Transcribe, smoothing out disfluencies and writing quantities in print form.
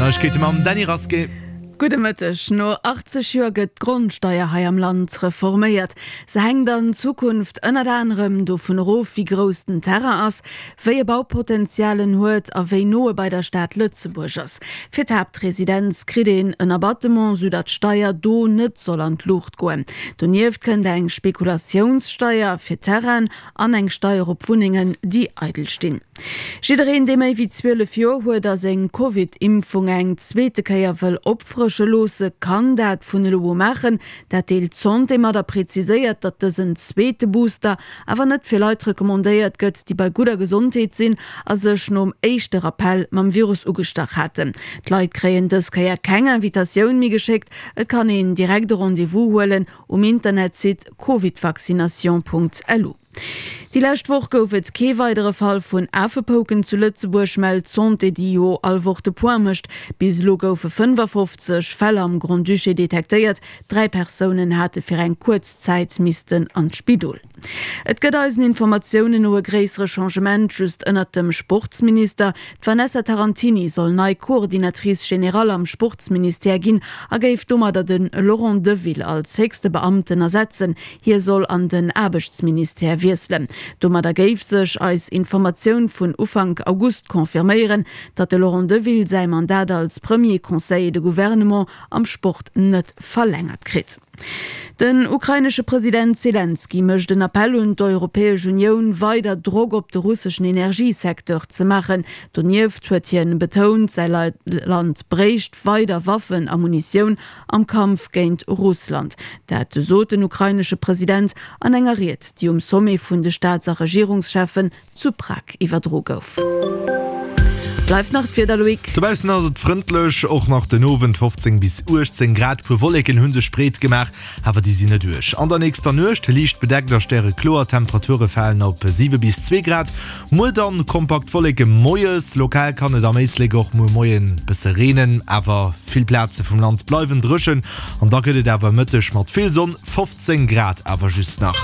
D'Neiegkeete mam Dany Rasqué. Gudde Mëtteg. No 80 Joer gëtt d'Grondsteier hei am Land reforméiert. Se hänkt an Zukunft ënnert anerem dovun erof, wéi grouss den Terrain ass, wéi e Baupotenzial en huet a wéi no e bei der Stad Lëtzebuerg ass. Fir d'Haaptresidenz kritt een en Abattement, sou datt d'Steier do net soll an d'Luucht goen. Donieft kënnt eng Spekulatiounssteier fir Terrainen an eng Steier op Wunnengen, déi eidel stinn. Jiddereen, dee méi wéi 12 Joer huet a seng Covid-Impfung eng zweete Kéier wëll opfrësche loosse, kann dat vun elo u maachen. Dat deelt d'Santé mat a preziséiert, datt dësen zweete Booster awer net fir Leit recommandéiert gëtt, déi bei gudder Gesondheet sinn a sech nom éischte Rappell mam Virus ugestach haten. D'Leit kréien dës Kéier keng Invitatioun méi geschéckt, et kann een direkt e Rendez-vous huelen um Internetsite covidvaccination.lu. Déi lescht Woch gouf et kee weidere Fall vun Afepouken zu Lëtzebuerg, mellt d'Santé, déi jo all Woch de Point mécht. Bis elo goufe 55 Fäll am Grand-Duché detektéiert, 3 Persounen hate fir eng kuerz Zäit missten an d'Spidol. Et gëtt eisen Informatiounen no e gréissere Changement just ënnert dem Sportsminister. D'Vanessa Tarantini soll nei Coordinatrice générale am Sportsministère ginn a géif domadder de Laurent Deville als héchste Beamten ersetzen. Hie soll an den Aarbechtsministère wiesselen. Domadder géif sech eis Informatioun vun Ufank August confirméieren, datt de Laurent Deville säi Mandat als Premier Conseiller de Gouvernement am Sport net verlängert kritt. Den ukrainesche President Selenskyj mécht en Appell un d'Europäesch Unioun, weider Drock op de russeschen Energiesecteur ze maachen. Donieft huet hien betount, säi Land bréicht weider Waffen a Munitioun am Kampf géint Russland. Dat sot den ukrainesche President an enger Ried, déi um Sommet vun de Staats a Regierungscheffen zu Prag iwwerdro gouf. Bleift nach d'Wieder, Loïc? Dobaussen ass et frëndlech, och nach den Owend 15 bis 18 Grad. Puer Wolleken hu sech breet gemaach, awer déi sinn net uerg. An der nächster Nuecht liicht bedeckt a stärekloer, d'Temperature falen op 7 bis 2 Grad. Muer dann kompakt Wolleke moies, lokal kann et am Éislek och muer Moien bësse reenen, awer vill Plaze vum Land bleiwen dréchen an da gëtt et awer Mëtteg mat vill Sonn 15 Grad awer just nach.